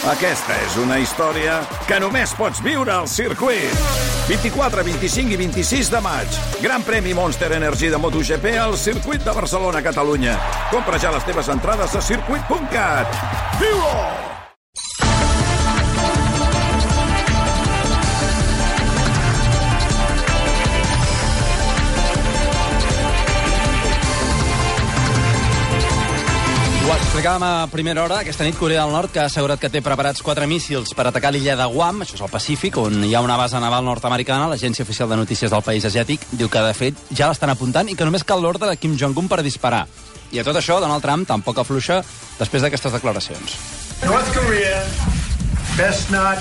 Aquesta és una història que només pots viure al circuit. 24, 25 i 26 de maig. Gran premi Monster Energy de MotoGP al circuit de Barcelona, Catalunya. Compra ja les teves entrades a circuit.cat. Viu-ho! Ho explicàvem a primera hora. Aquesta nit Corea del Nord que ha assegurat que té preparats 4 míssils per atacar l'illa de Guam, això és al Pacífic, on hi ha una base naval nord-americana. L'agència oficial de notícies del país asiàtic diu que, de fet, ja l'estan apuntant i que només cal l'ordre de Kim Jong-un per disparar. I a tot això, Donald Trump tampoc afluixa després d'aquestes declaracions. North Korea, best not...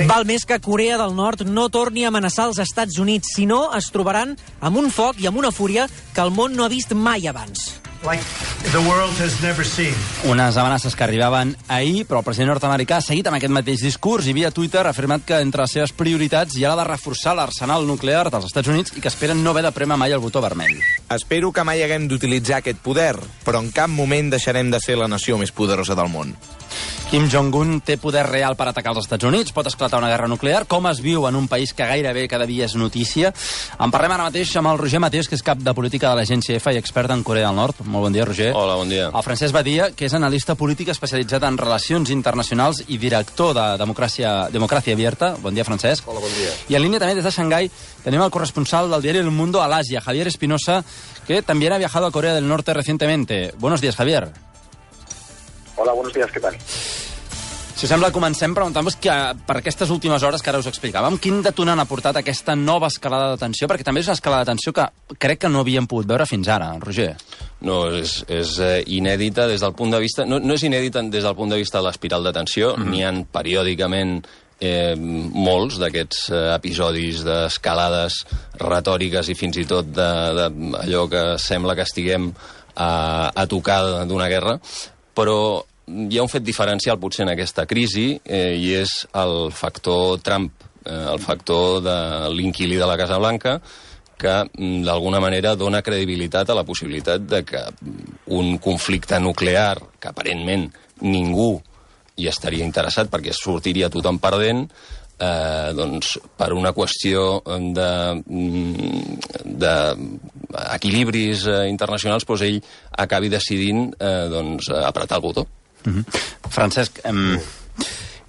Val més que Corea del Nord no torni a amenaçar els Estats Units, si no es trobaran amb un foc i amb una fúria que el món no ha vist mai abans. like the world has never seen. Unes amenaces que arribaven ahir, però el president nord-americà ha seguit amb aquest mateix discurs i via Twitter ha afirmat que entre les seves prioritats hi ha la de reforçar l'arsenal nuclear dels Estats Units i que esperen no haver de prémer mai el botó vermell. Espero que mai haguem d'utilitzar aquest poder, però en cap moment deixarem de ser la nació més poderosa del món. Kim Jong-un té poder real per atacar els Estats Units? Pot esclatar una guerra nuclear? Com es viu en un país que gairebé cada dia és notícia? En parlem ara mateix amb el Roger Mateos, que és cap de política de l'agència EFA i expert en Corea del Nord. Molt bon dia, Roger. Hola, bon dia. El Francesc Badia, que és analista polític especialitzat en relacions internacionals i director de Democràcia Abierta. Bon dia, Francesc. Hola, bon dia. I en línia també des de Xangai tenim el corresponsal del diari El Mundo al Asia, Javier Espinosa, que también ha viajado a Corea del Norte recientemente. Buenos días, Javier. Hola, buenos días, ¿qué tal? Si sembla, comencem preguntant-vos que per aquestes últimes hores que ara us explicàvem, quin detonant ha portat aquesta nova escalada de tensió? Perquè també és una escalada de tensió que crec que no havíem pogut veure fins ara, Roger. No, és inèdita des del punt de vista... No és inèdita des del punt de vista de l'espiral de tensió, n'hi ha periòdicament molts d'aquests episodis d'escalades retòriques i fins i tot d'allò que sembla que estiguem a tocar d'una guerra, però hi ha un fet diferencial potser en aquesta crisi i és el factor Trump, el factor de l'inquilí de la Casa Blanca, que d'alguna manera dona credibilitat a la possibilitat de que un conflicte nuclear, que aparentment ningú hi estaria interessat perquè sortiria tothom perdent, doncs per una qüestió d'equilibris internacionals, doncs ell acabi decidint apretar el botó. Francesc,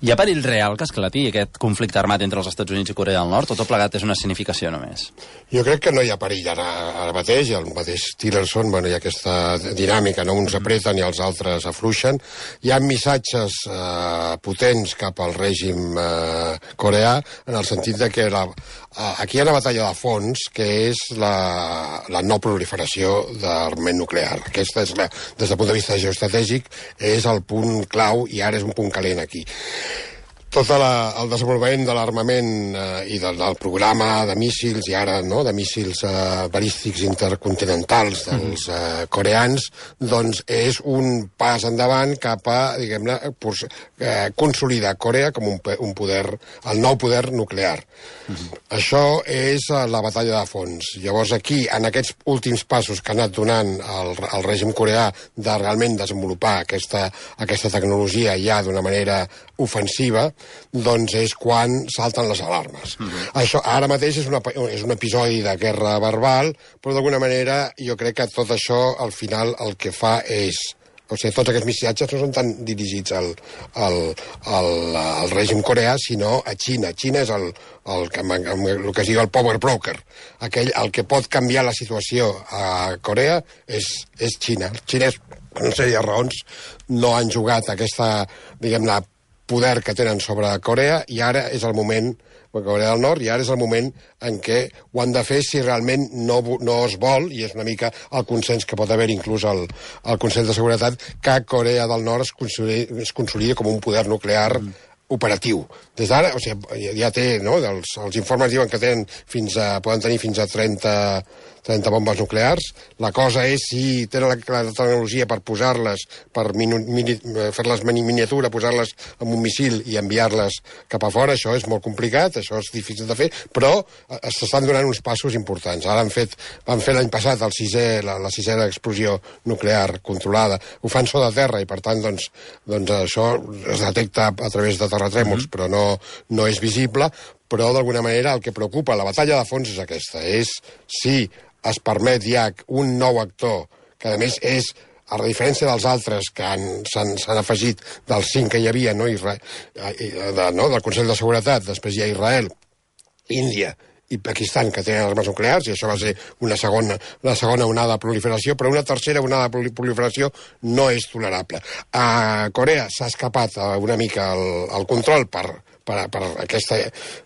hi ha perill real que esclati aquest conflicte armat entre els Estats Units i Corea del Nord, o tot plegat és una significació només? Jo crec que no hi ha perill ara mateix, el mateix Tillerson, bueno, hi ha aquesta dinàmica, no? Uns apreten i els altres afluixen. Hi ha missatges potents cap al règim coreà, en el sentit de que aquí hi ha una batalla de fons, que és la no proliferació d'armament nuclear. Aquesta és, des del punt de vista geoestratègic, és el punt clau i ara és un punt calent aquí. Tot el desenvolupament de l'armament i del programa de míssils i ara de míssils balístics intercontinentals dels coreans, doncs és un pas endavant cap a, diguem-ne, consolidar Corea com un poder, el nou poder nuclear. Això és la batalla de fons. Llavors aquí, en aquests últims passos que ha anat donant el règim coreà de realment desenvolupar aquesta tecnologia ja d'una manera ofensiva, doncs és quan salten les alarmes. Això ara mateix és un episodi de guerra verbal, però d'alguna manera jo crec que tot això al final el que fa és... O sigui, tots aquests missatges no són tan dirigits al règim coreà, sinó a Xina. Xina és el que es diu el power broker. El que pot canviar la situació a Corea és Xina. Els xinès, per una sèrie de raons, no han jugat aquesta, diguem-ne, poder que tenen sobre Corea, i ara és el moment, Corea del Nord, i ara és el moment en què ho han de fer si realment no es vol, i és una mica el consens que pot haver inclús el Consell de Seguretat, que Corea del Nord es consolidi com un poder nuclear operatiu. Des d'ara, o sigui, ja té, no? Els informes diuen que poden tenir fins a 30 bombes nuclears. La cosa és si tenen la tecnologia per posar-les, per fer-les miniatura, posar-les en un missil i enviar-les cap a fora. Això és molt complicat, això és difícil de fer, però s'estan donant uns passos importants. Ara van fer l'any passat la sisena explosió nuclear controlada. Ho fan sota terra i, per tant, doncs això es detecta a través de terratrèmols, però no és visible. Però, d'alguna manera, el que preocupa, la batalla de fons és aquesta, és si es permet ja un nou actor, que a més és, a la diferència dels altres que s'han afegit dels 5 que hi havia, del Consell de Seguretat, després hi ha Israel, Índia i Pakistan, que tenen armes nuclears, i això va ser una segona onada de proliferació, però una tercera onada de proliferació no és tolerable. A Corea s'ha escapat una mica el control per aquesta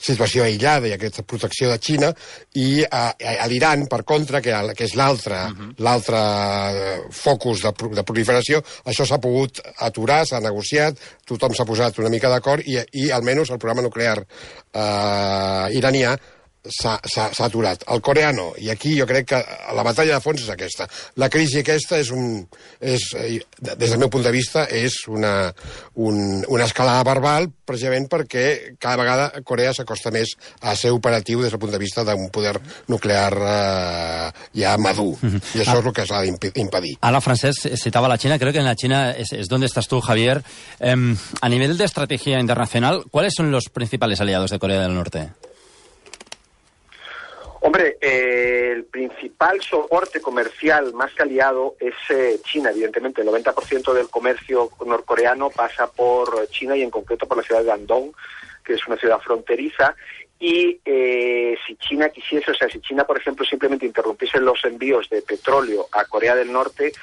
situació aïllada i aquesta protecció de Xina, i a l'Iran, per contra, que és l'altre focus de proliferació, això s'ha pogut aturar, s'ha negociat, tothom s'ha posat una mica d'acord i almenys el programa nuclear iranià s'ha aturat. El coreà no, i aquí jo crec que la batalla de fons és aquesta. La crisi aquesta des del meu punt de vista, és una escalada verbal, precisament perquè cada vegada Corea s'acosta més a ser operatiu des del punt de vista d'un poder nuclear ja madur, i això és el que s'ha d'impedir. Ahora, Francesc, citaba la China, creo que en la China es donde estás tú, Javier. A nivel de estrategia internacional, ¿cuáles son los principales aliados de Corea del Norte? Hombre, el principal soporte comercial más que aliado es China, evidentemente. El 90% del comercio norcoreano pasa por China y en concreto por la ciudad de Andong, que es una ciudad fronteriza. Y si China quisiese, si China, por ejemplo, simplemente interrumpiese los envíos de petróleo a Corea del Norte,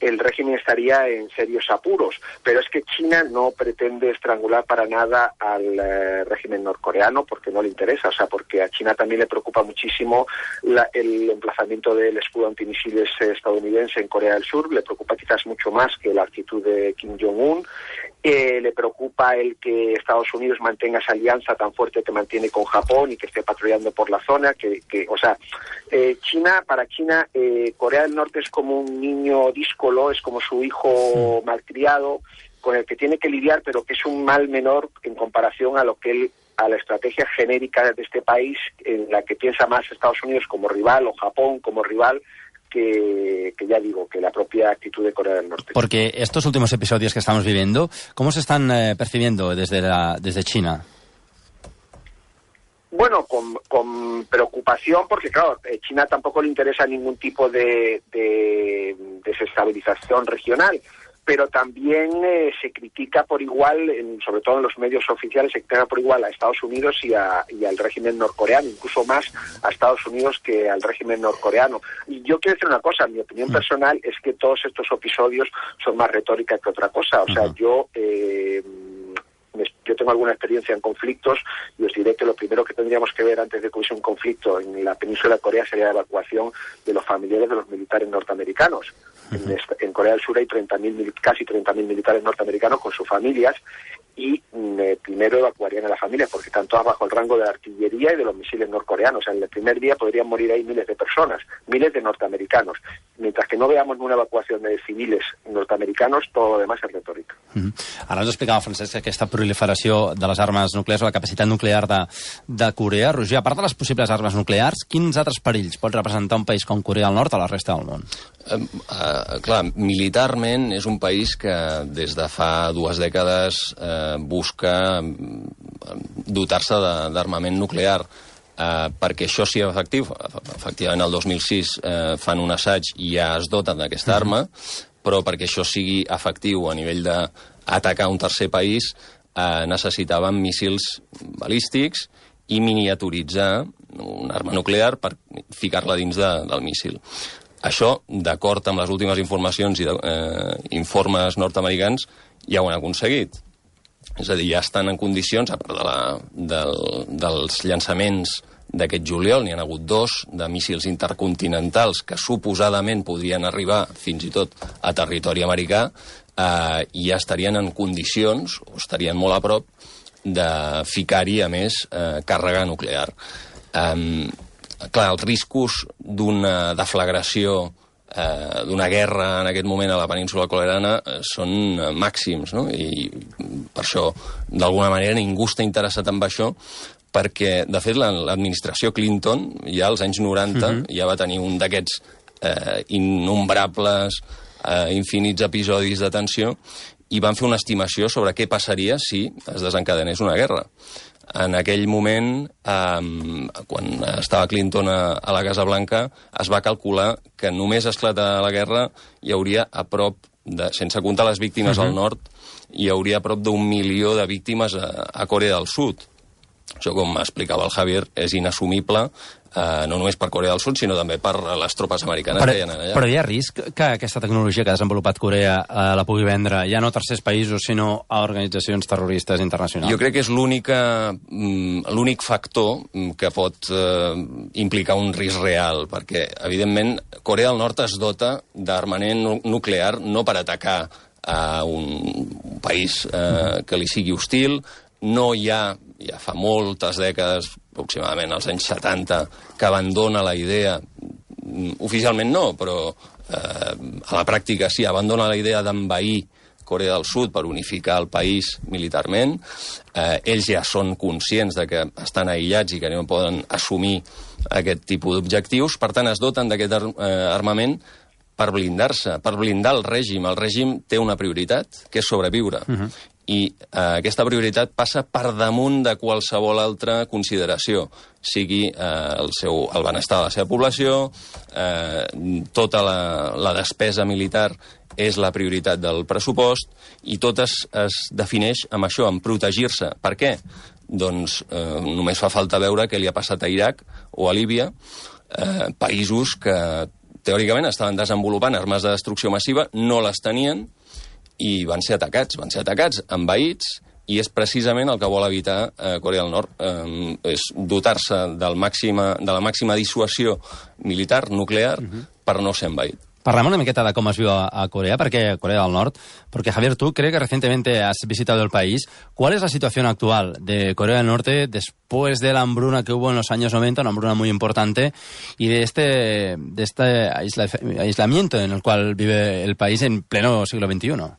el régimen estaría en serios apuros. Pero es que China no pretende estrangular para nada al régimen norcoreano, porque no le interesa, porque a China también le preocupa muchísimo el emplazamiento del escudo antimisiles estadounidense en Corea del Sur. Le preocupa quizás mucho más que la actitud de Kim Jong-un. Le preocupa el que Estados Unidos mantenga esa alianza tan fuerte que mantiene con Japón y que esté patrullando por la zona. Para China, Corea del Norte es como un niño díscolo, es como su hijo malcriado, con el que tiene que lidiar, pero que es un mal menor en comparación a la estrategia genérica de este país, en la que piensa más Estados Unidos como rival o Japón como rival, que ya digo, que la propia actitud de Corea del Norte. Porque estos últimos episodios que estamos viviendo, ¿cómo se están percibiendo desde China? Bueno, con preocupación, porque claro, China tampoco le interesa ningún tipo de desestabilización regional, pero también se critica por igual, sobre todo en los medios oficiales, se critica por igual a Estados Unidos y al régimen norcoreano, incluso más a Estados Unidos que al régimen norcoreano. Y yo quiero decir una cosa, mi opinión personal es que todos estos episodios son más retórica que otra cosa. Yo tengo alguna experiencia en conflictos y os diré que lo primero que tendríamos que ver antes de que hubiese un conflicto en la península de Corea sería la evacuación de los familiares de los militares norteamericanos. En Corea del Sur hay casi 30.000 militares norteamericanos con sus familias, y primero evacuarían a las familias porque están todas bajo el rango de la artillería y de los misiles norcoreanos. En el primer día podrían morir ahí miles de personas, miles de norteamericanos. Mientras que no veamos una evacuación de civiles norteamericanos, todo lo demás es retórica. Ara ens explicava, Francesc, aquesta proliferació de les armes nuclears o la capacitat nuclear de Corea. Roger, a part de les possibles armes nuclears, quins altres perills pot representar un país com Corea del Nord a la resta del món? Clar, militarment és un país que des de fa 2 dècades busca dotar-se d'armament nuclear, perquè això sigui efectiu. Efectivament, el 2006 fan un assaig i ja es doten d'aquesta arma, però perquè això sigui efectiu a nivell d'atacar un tercer país necessitaven míssils balístics i miniaturitzar una arma nuclear per ficar-la dins del míssil. Això, d'acord amb les últimes informacions i informes nord-americans, ja ho han aconseguit. És a dir, ja estan en condicions, a part dels llançaments d'aquest juliol, n'hi ha hagut 2 de míssils intercontinentals que suposadament podrien arribar fins i tot a territori americà, i ja estarien en condicions, o estarien molt a prop, de ficar-hi, a més, càrrega nuclear. clar, els riscos d'una deflagració, d'una guerra en aquest moment a la península coreana són màxims, no? I per això, d'alguna manera, ningú està interessat en això, perquè, de fet, l'administració Clinton, ja als anys 90, ja va tenir un d'aquests innombrables, infinits episodis de tensió, i van fer una estimació sobre què passaria si es desencadenés una guerra. En aquell moment, quan estava Clinton a la Casa Blanca, es va calcular que només esclatar la guerra hi hauria a prop, sense comptar les víctimes al nord, hi hauria a prop d'1 milió de víctimes a Corea del Sud. Això, com explicava el Javier, és inassumible, no només per Corea del Sud, sinó també per les tropes americanes que hi ha allà. Però hi ha risc que aquesta tecnologia que ha desenvolupat Corea la pugui vendre ja no a tercers països, sinó a organitzacions terroristes internacionals? Jo crec que és l'únic factor que pot implicar un risc real, perquè, evidentment, Corea del Nord es dota d'armament nuclear no per atacar a un país que li sigui hostil. No hi ha, ja fa moltes dècades, aproximadament als anys 70, que abandona la idea, oficialment no, però a la pràctica sí, abandona la idea d'envair Corea del Sud per unificar el país militarment. Ells ja són conscients de que estan aïllats i que no poden assumir aquest tipus d'objectius, per tant es doten d'aquest armament per blindar-se, per blindar el règim. El règim té una prioritat, que és sobreviure. I aquesta prioritat passa per damunt de qualsevol altra consideració, sigui el benestar de la seva població, tota la despesa militar és la prioritat del pressupost, i tot es defineix amb això, amb protegir-se. Per què? Doncs només fa falta veure què li ha passat a Iraq o a Líbia, països que teòricament estaven desenvolupant armes de destrucció massiva, no les tenien, i van ser atacats, envaïts, i és precisament el que vol evitar Corea del Nord, és dotar-se de la màxima dissuasió militar, nuclear, per no ser envaït. Parlem una miqueta de cómo es viu a Corea, Corea del Norte, porque Javier, tú creo que recientemente has visitado el país. ¿Cuál es la situación actual de Corea del Norte después de la hambruna que hubo en los años 90, una hambruna muy importante, y de este aislamiento en el cual vive el país en pleno siglo XXI?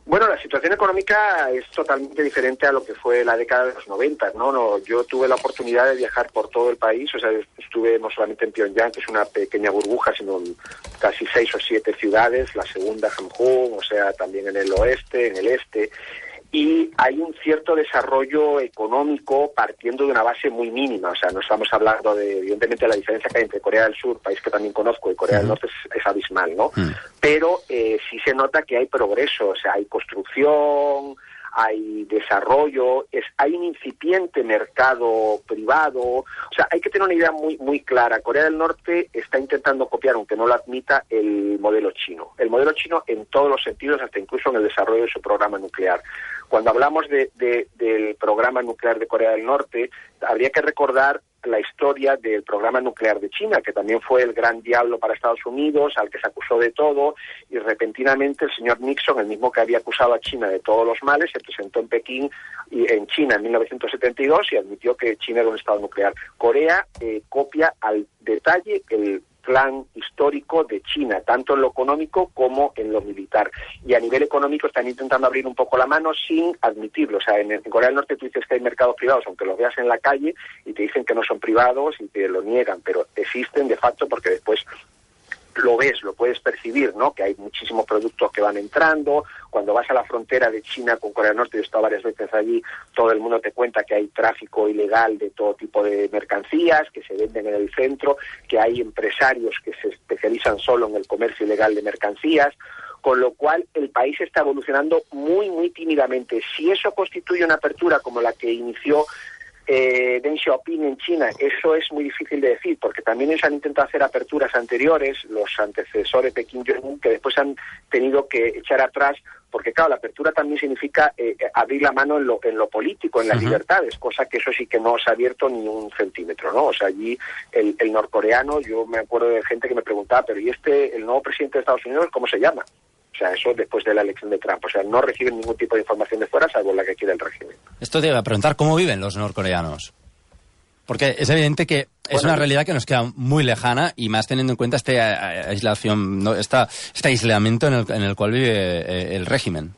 Bueno, la situación económica es totalmente diferente a lo que fue la década de los 90, ¿no? Yo tuve la oportunidad de viajar por todo el país, o sea, estuve no solamente en Pyongyang, que es una pequeña burbuja, sino en casi 6 o 7 ciudades, la segunda, Hamhung, o sea, también en el oeste, en el este, y hay un cierto desarrollo económico partiendo de una base muy mínima. O sea, no estamos hablando de, evidentemente, la diferencia que hay entre Corea del Sur, país que también conozco, y Corea del Norte es abismal, ¿no? Pero sí se nota que hay progreso, o sea, hay construcción, hay desarrollo, hay un incipiente mercado privado. O sea, hay que tener una idea muy clara. Corea del Norte está intentando copiar, aunque no lo admita, el modelo chino. El modelo chino en todos los sentidos, hasta incluso en el desarrollo de su programa nuclear. Cuando hablamos del programa nuclear de Corea del Norte, habría que recordar la historia del programa nuclear de China, que también fue el gran diablo para Estados Unidos, al que se acusó de todo, y repentinamente el señor Nixon, el mismo que había acusado a China de todos los males, se presentó en Pekín y en China en 1972 y admitió que China era un estado nuclear. Corea copia al detalle el plan histórico de China, tanto en lo económico como en lo militar. Y a nivel económico están intentando abrir un poco la mano sin admitirlo. O sea, en Corea del Norte tú dices que hay mercados privados, aunque los veas en la calle, y te dicen que no son privados y te lo niegan, pero existen de facto porque después lo ves, lo puedes percibir, ¿no? Que hay muchísimos productos que van entrando. Cuando vas a la frontera de China con Corea del Norte, yo he estado varias veces allí, todo el mundo te cuenta que hay tráfico ilegal de todo tipo de mercancías que se venden en el centro, que hay empresarios que se especializan solo en el comercio ilegal de mercancías, con lo cual el país está evolucionando muy tímidamente. Si eso constituye una apertura como la que inició Deng Xiaoping en China, eso es muy difícil de decir, porque también ellos han intentado hacer aperturas anteriores, los antecesores de Kim Jong-un, que después han tenido que echar atrás, porque claro, la apertura también significa abrir la mano en lo político, en las libertades, cosa que eso sí que no se ha abierto ni un centímetro, ¿no? O sea, allí el norcoreano, yo me acuerdo de gente que me preguntaba, pero ¿y el nuevo presidente de Estados Unidos cómo se llama? O sea, eso después de la elección de Trump. O sea, no reciben ningún tipo de información de fuera, salvo la que quiere el régimen. Esto te iba a preguntar, ¿cómo viven los norcoreanos? Porque es evidente que es una realidad que nos queda muy lejana y más teniendo en cuenta aislación, ¿no? este aislamiento en el cual vive el régimen.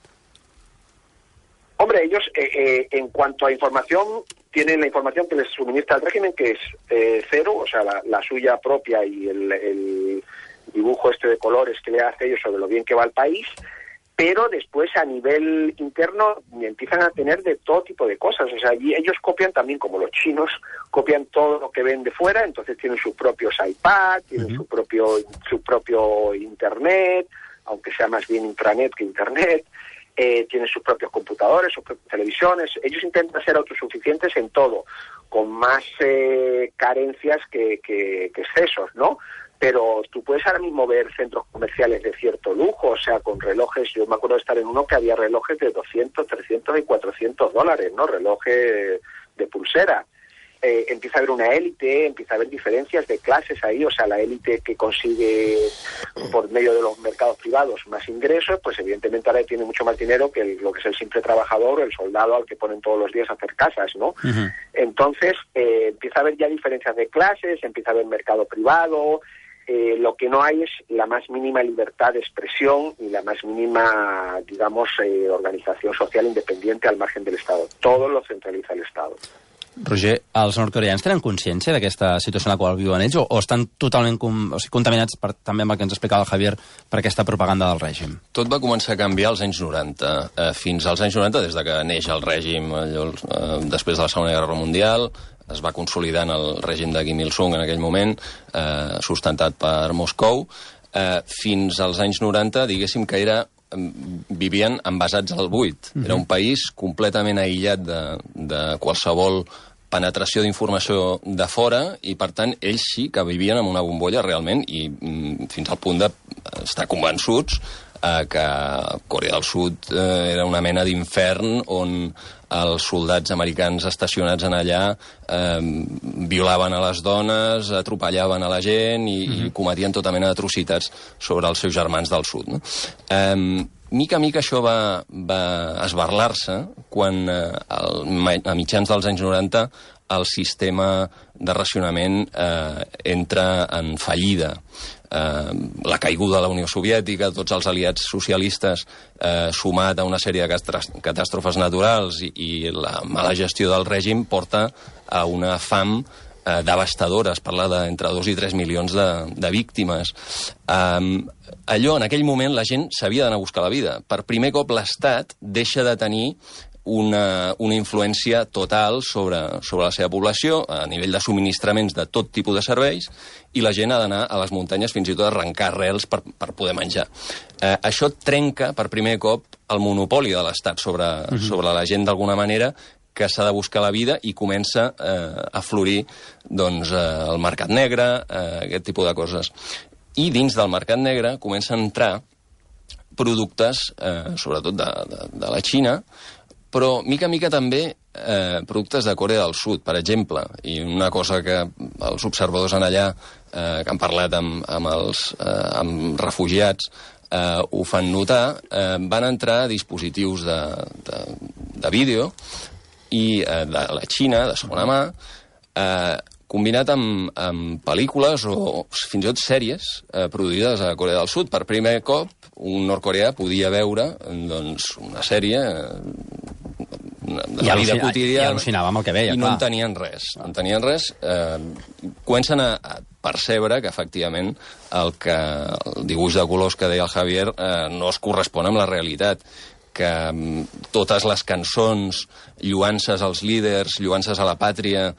Hombre, ellos, en cuanto a información, tienen la información que les suministra el régimen, que es cero, o sea, la suya propia y el dibujo de colores que le hace ellos sobre lo bien que va el país, pero después a nivel interno empiezan a tener de todo tipo de cosas. O sea, allí ellos copian también, como los chinos, copian todo lo que ven de fuera, entonces tienen sus propios iPad, tienen su propio Internet, aunque sea más bien intranet que Internet, tienen sus propios computadores, sus propias televisiones. Ellos intentan ser autosuficientes en todo, con más carencias que excesos, ¿no? Pero tú puedes ahora mismo ver centros comerciales de cierto lujo, o sea, con relojes. Yo me acuerdo de estar en uno que había relojes de 200, 300 y 400 dólares, ¿no? Relojes de pulsera. Empieza a haber una élite, empieza a haber diferencias de clases ahí, o sea, la élite que consigue por medio de los mercados privados más ingresos, pues evidentemente ahora tiene mucho más dinero que lo que es el simple trabajador o el soldado al que ponen todos los días a hacer casas, ¿no? Entonces, empieza a haber ya diferencias de clases, empieza a haber mercado privado. Lo que no hay es la más mínima libertad de expresión y la más mínima, digamos, organización social independiente al margen del Estado. Todo lo centraliza el Estado. Roger, els nord-coreans tenen consciència d'aquesta situació en la qual viuen ells o estan totalment contaminats també amb el que ens explicava el Javier per aquesta propaganda del règim? Tot va començar a canviar als anys 90. Fins als anys 90, des de que neix el règim després de la Segona Guerra Mundial, es va consolidar en el règim de Kim Il-sung en aquell moment, sustentat per Moscou. Fins als anys 90, diguéssim que vivien envasats al buit. Era un país completament aïllat de qualsevol penetració d'informació de fora i, per tant, ells sí que vivien en una bombolla realment i fins al punt d'estar convençuts que Corea del Sud era una mena d'infern on els soldats americans estacionats en allà violaven a les dones, atropellaven a la gent i cometien tota mena d'atrocitats sobre els seus germans del sud. No? Mica a mica això va esbarlar-se quan a mitjans dels anys 90 el sistema de racionament entra en fallida. La caiguda de la Unió Soviètica, tots els aliats socialistes, sumat a una sèrie de catàstrofes naturals i la mala gestió del règim, porta a una fam devastadora. Es parla d'entre 2 i 3 milions de víctimes. Allò, en aquell moment, la gent s'havia d'anar a buscar la vida. Per primer cop l'Estat deixa de tenir una influència total sobre la seva població a nivell de subministraments de tot tipus de serveis i la gent ha d'anar a les muntanyes fins i tot a arrencar arrels per poder menjar. Això trenca per primer cop el monopoli de l'Estat sobre la gent d'alguna manera que s'ha de buscar la vida i comença a florir el mercat negre, aquest tipus de coses. I dins del mercat negre comencen a entrar productes, sobretot de la Xina, però mica a mica també productes de Corea del Sud, per exemple. I una cosa que els observadors en allà, que han parlat amb refugiats, ho fan notar, van entrar dispositius de vídeo i de la Xina, de segona mà, combinat amb pel·lícules o fins i tot sèries produïdes a Corea del Sud. Per primer cop, un nord-coreà podia veure una sèrie de la vida quotidiana. I al·lucinava amb el que veia, i no en tenien res. No en tenien res. Comencen a percebre que, efectivament, el dibuix de colors que deia el Javier no es correspon amb la realitat, que totes les cançons, lluances als líders, lluances a la pàtria,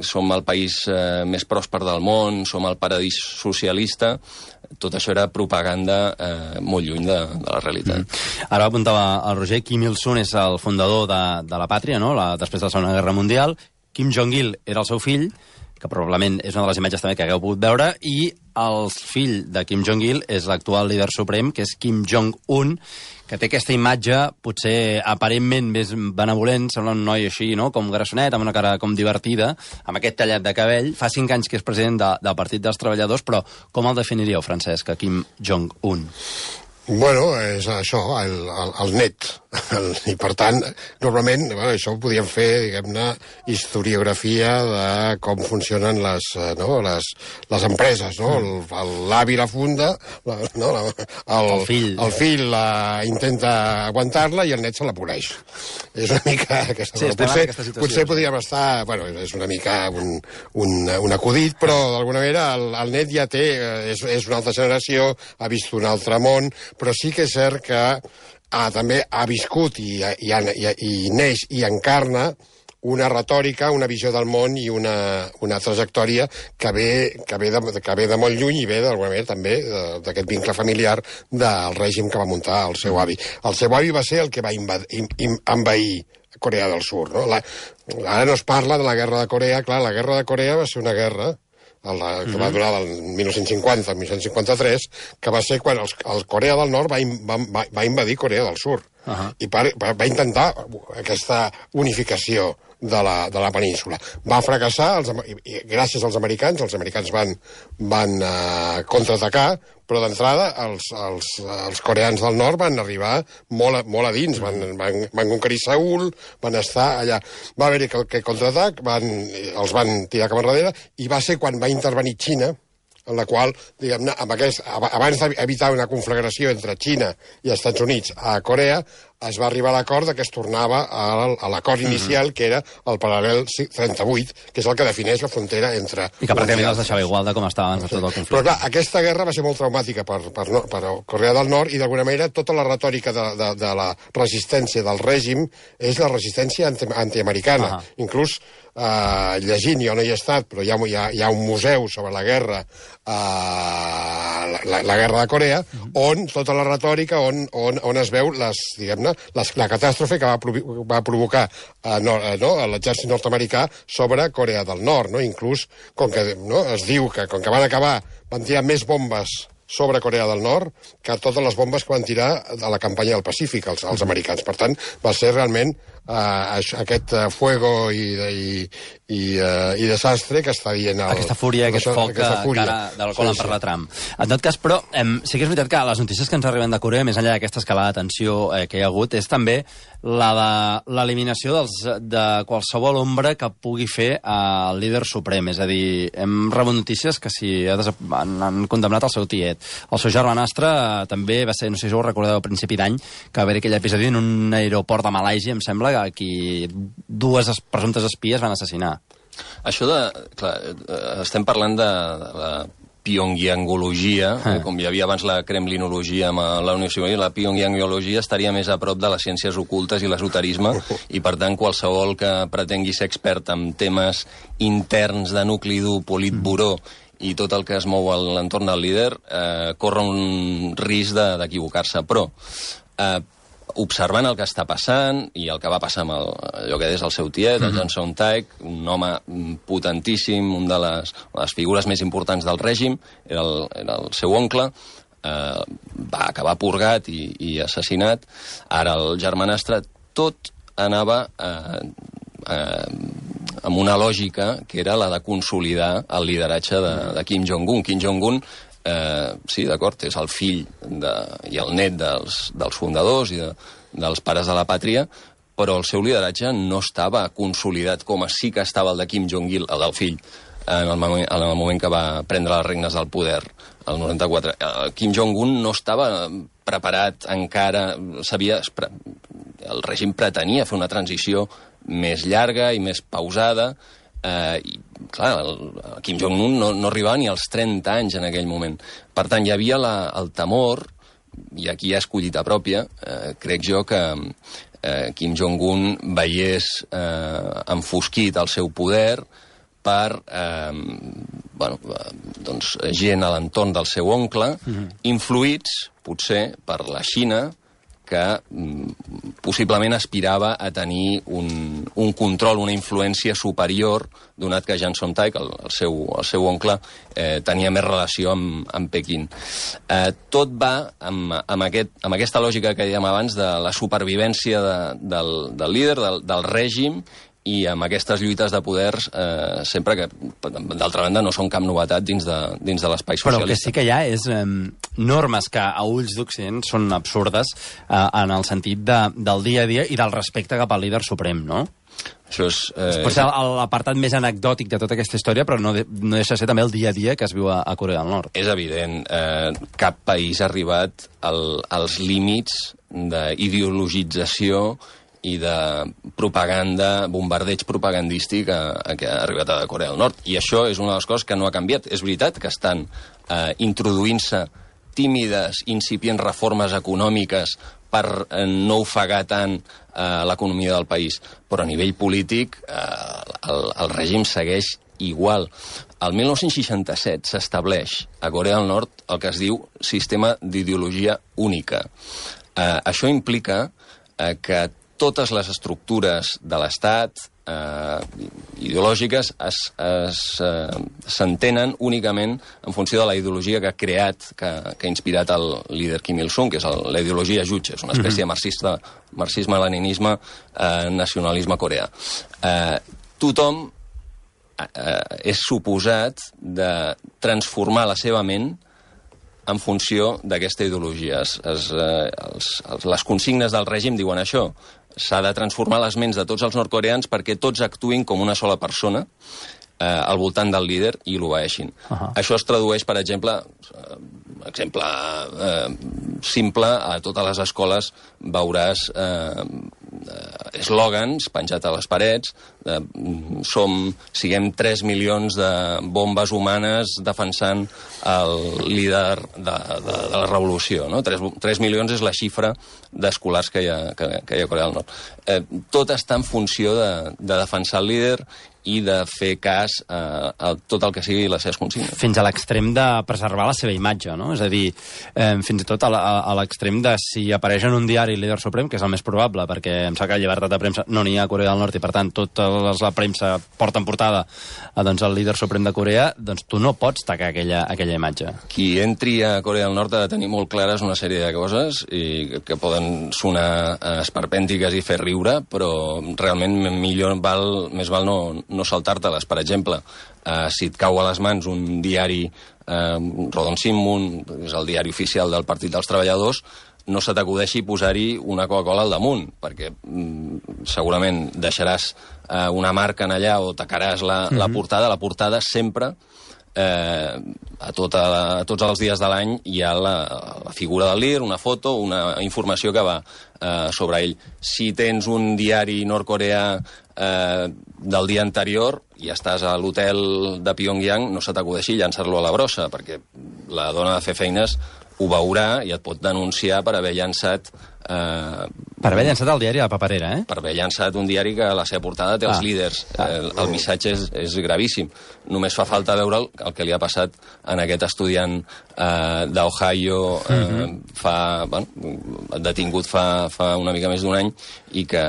som el país més pròsper del món, som el paradís socialista, tot això era propaganda molt lluny de la realitat. Ara apuntava el Roger, Kim Il-sung és el fundador de la pàtria, no? Després de la Segona Guerra Mundial. Kim Jong-il era el seu fill, que probablement és una de les imatges també que hagueu pogut veure, i el fill de Kim Jong-il és l'actual líder suprem, que és Kim Jong-un, que té aquesta imatge potser aparentment més benevolent, sembla un noi així, no?, com grassonet, amb una cara com divertida, amb aquest tallat de cabell. Fa 5 anys que és president del Partit dels Treballadors, però com el definiríeu, Francesc, a Kim Jong-un? Bueno, és això, el net. I, per tant, normalment, això ho podíem fer, diguem-ne, historiografia de com funcionen les empreses, no? L'avi la funda, el fill intenta aguantar-la i el net se la poleix. És una mica aquesta... Sí, potser podríem estar... Bueno, és una mica un acudit, però d'alguna manera el net ja té... És una altra generació, ha vist un altre món, però sí que és cert que també ha viscut i neix i encarna una retòrica, una visió del món i una trajectòria que ve de molt lluny i ve d'alguna manera també d'aquest vincle familiar del règim que va muntar el seu avi. El seu avi va ser el que va envair Corea del Sur. No? Ara no es parla de la guerra de Corea. Clar, la guerra de Corea va ser una guerra que va durar del 1950 al 1953, que va ser quan el Corea del Nord va invadir Corea del Sur. I va intentar aquesta unificació de la península. Va fracassar, gràcies als americans van contraatacar, però d'entrada els coreans del nord van arribar molt a dins, van conquerir Seül, van estar allà. Va haver-hi aquest contraatac, els van tirar cap enrere, i va ser quan va intervenir Xina, en la qual, diguem-ne, abans d'evitar una conflagració entre Xina i els Estats Units a Corea, es va arribar a l'acord que es tornava a l'acord inicial, que era el paral·lel 38, que és el que defineix la frontera entre... I que pràcticament els deixava igual de com estava abans de tot el conflicte. Però clar, aquesta guerra va ser molt traumàtica per Corea del Nord, i d'alguna manera tota la retòrica de la resistència del règim és la resistència antiamericana. Inclús llegint, jo no hi he estat, però hi ha un museu sobre la guerra, la guerra de Corea, on tota la retòrica, on es veu la catàstrofe que va provocar l'exèrcit nord-americà sobre Corea del Nord. Inclús, com que es diu que com que van tirar més bombes sobre Corea del Nord que totes les bombes que van tirar a la campanya del Pacífic, els americans. Per tant, va ser realment aquest fuego i desastre que està dient... Aquesta fúria, aquest foc del qual en parla Trump. En tot cas, però, sí que és veritat que les notícies que ens arriben de Corea, més enllà d'aquesta escalada de tensió que hi ha hagut, és també la de l'eliminació de qualsevol ombra que pugui fer el líder suprem. És a dir, hem rebut notícies que han condemnat el seu tiet. El seu germanastre també va ser, no sé si ho recordeu, a principi d'any, que va haver aquell episodi en un aeroport de Malàisia, em sembla, que aquí dues presumptes espies van assassinar. Això clar, estem parlant de la pyongyangologia, com hi havia abans la kremlinologia amb la Unió Soviètica, la pyongyangologia estaria més a prop de les ciències ocultes i l'esoterisme, i per tant qualsevol que pretengui ser expert en temes interns de nucli dur, politburó, i tot el que es mou a l'entorn del líder corre un risc d'equivocar-se. Però observant el que està passant i el que va passar amb allò que és el seu tiet, el Jang Song-taek, un home potentíssim, una de les figures més importants del règim, era el seu oncle, va acabar purgat i assassinat. Ara el germanastre, tot anava amb una lògica que era la de consolidar el lideratge de Kim Jong-un. Kim Jong-un, sí, d'acord, és el fill i el net dels fundadors i dels pares de la pàtria, però el seu lideratge no estava consolidat com sí que estava el de Kim Jong-il, el del fill, en el moment que va prendre les regnes del poder, el 94. Kim Jong-un no estava preparat encara, el règim pretenia fer una transició més llarga i més pausada, i clar, Kim Jong-un no arribava ni als 30 anys en aquell moment. Per tant, hi havia el temor, i aquí hi ha escollita pròpia, crec jo que Kim Jong-un veiés enfosquit el seu poder per gent a l'entorn del seu oncle, influïts, potser, per la Xina, que possiblement aspirava a tenir un control, una influència superior, donat que Jang Song-taek, el seu oncle, tenia més relació amb Pequín. Tot va amb aquesta lògica que dèiem abans de la supervivència del líder, del règim, i amb aquestes lluites de poders sempre que, d'altra banda, no són cap novetat dins de l'espai socialista. Però el que sí que hi ha és normes que a ulls d'Occident són absurdes en el sentit del dia a dia i del respecte cap al líder suprem, no? Això és... Potser l'apartat més anecdòtic de tota aquesta història, però no deixa de ser també el dia a dia que es viu a Corea del Nord. És evident, cap país ha arribat als límits d'ideologització i de propaganda, bombardeig propagandístic que ha arribat a Corea del Nord. I això és una de les coses que no ha canviat. És veritat que estan introduint-se tímides, incipients reformes econòmiques per no ofegar tant l'economia del país. Però a nivell polític el règim segueix igual. El 1967 s'estableix a Corea del Nord el que es diu sistema d'ideologia única. Això implica que totes les estructures de l'Estat ideològiques s'entenen únicament en funció de la ideologia que ha creat, que ha inspirat el líder Kim Il-sung, que és la ideologia Juche, és una espècie de marxisme-leninisme, nacionalisme coreà. Tothom és suposat de transformar la seva ment en funció d'aquesta ideologia. Les consignes del règim diuen això. S'ha de transformar les ments de tots els nord-coreans perquè tots actuïn com una sola persona al voltant del líder i l'obeeixin. Això es tradueix, per exemple simple, a totes les escoles veuràs eslògans penjats a les parets, siguem 3 milions de bombes humanes defensant el líder de la revolució, no? 3 milions és la xifra d'escolars que hi ha a Corea del Nord. Tot està en funció de defensar el líder i de fer cas a tot el que sigui les seves consignes. Fins a l'extrem de preservar la seva imatge, no? És a dir, fins i tot a l'extrem de si apareix en un diari el líder suprem, que és el més probable, perquè em sembla que llibertat de premsa no n'hi ha a Corea del Nord i, per tant, tota la premsa porta en portada el líder suprem de Corea, doncs tu no pots tacar aquella imatge. Qui entri a Corea del Nord ha de tenir molt clares una sèrie de coses i que poden sonar esperpèntiques i fer riure, però realment més val no saltar-te-les. Per exemple, si et cau a les mans un diari, Rodon Sinmun, és el diari oficial del Partit dels Treballadors, no se t'acudeixi posar-hi una Coca-Cola al damunt, perquè segurament deixaràs una marca en allà o tacaràs la portada. La portada sempre, a tots els dies de l'any, hi ha la figura del líder, una foto, una informació que va sobre ell. Si tens un diari nord-coreà del dia anterior i estàs a l'hotel de Pyongyang, no se t'acudeixi llançar-lo a la brossa, perquè la dona de fer feines ho veurà i et pot denunciar per haver llançat... Per haver llançat el diari a la paperera, eh? Per haver llançat un diari que a la seva portada té els líders. El missatge és gravíssim. Només fa falta veure el que li ha passat en aquest estudiant d'Ohio detingut fa una mica més d'un any i que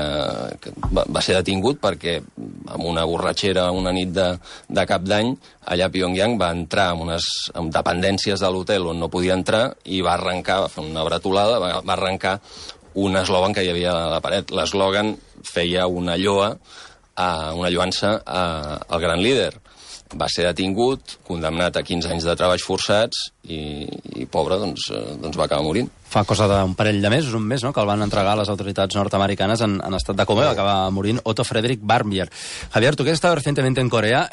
va ser detingut perquè amb una borratxera una nit de cap d'any allà a Pyongyang va entrar en dependències de l'hotel on no podia entrar i va arrencar, va fer una bretolada, va arrencar un eslògan que hi havia a la paret. L'eslògan feia una lloança al gran líder. Va ser detingut, condemnat a 15 anys de treballs forçats i pobre, doncs va acabar morint. Fa cosa d'un parell de mesos, un mes, no?, que el van entregar a les autoritats nord-americanes en estat de coma i va acabar morint Otto Frederick Barbier. Javier, tú que has estado recientemente en Corea,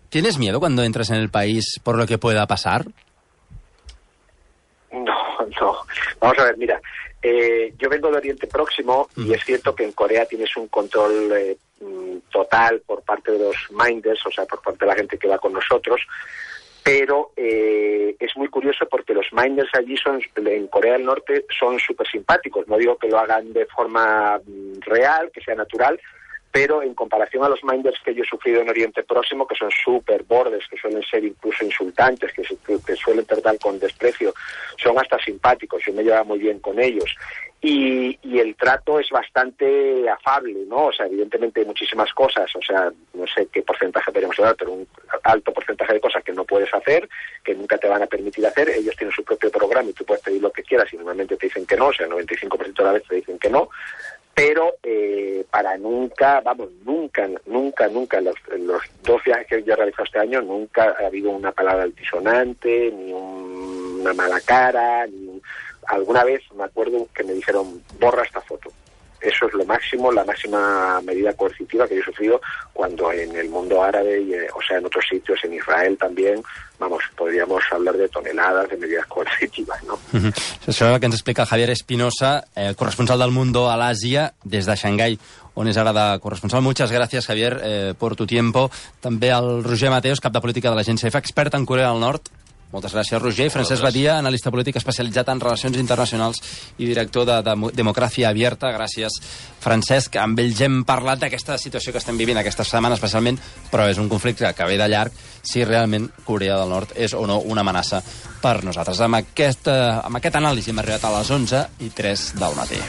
¿tienes miedo cuando entras en el país por lo que pueda pasar? No. Vamos a ver, mira, yo vengo de Oriente Próximo y es cierto que en Corea tienes un control total por parte de los minders, o sea, por parte de la gente que va con nosotros, pero es muy curioso porque los minders allí en Corea del Norte son súper simpáticos. No digo que lo hagan de forma real, que sea natural, pero en comparación a los minders que yo he sufrido en Oriente Próximo, que son súper bordes, que suelen ser incluso insultantes, que suelen tratar con desprecio, son hasta simpáticos, yo me llevaba muy bien con ellos. Y el trato es bastante afable, ¿no? O sea, evidentemente hay muchísimas cosas, o sea, no sé qué porcentaje podríamos hablar, pero un alto porcentaje de cosas que no puedes hacer, que nunca te van a permitir hacer. Ellos tienen su propio programa y tú puedes pedir lo que quieras y normalmente te dicen que no, o sea, el 95% de las veces te dicen que no. pero para nunca, nunca, los 2 viajes que yo he realizado este año, nunca ha habido una palabra altisonante, ni una mala cara, alguna vez me acuerdo que me dijeron, borra esta foto. Eso es lo máximo, la máxima medida coercitiva que yo he sufrido cuando en el mundo árabe, en otros sitios, en Israel también, podríamos hablar de toneladas de medidas coercitivas, ¿no? Això és el que ens explica Javier Espinosa, corresponsal del Mundo a l'Àsia, des de Xangai, on és ara de corresponsal. Muchas gracias, Javier, por tu tiempo. També el Roger Mateos, cap de política de l'agència EFE, expert en Corea del Nord. Moltes gràcies, Roger. Francesc Badia, analista polític especialitzat en relacions internacionals i director de Democràcia Abierta. Gràcies, Francesc. Amb ells hem parlat d'aquesta situació que estem vivint aquesta setmana especialment, però és un conflicte que ve de llarg, si realment Corea del Nord és o no una amenaça per nosaltres. Amb aquest anàlisi hem arribat a les 11:03 del matí.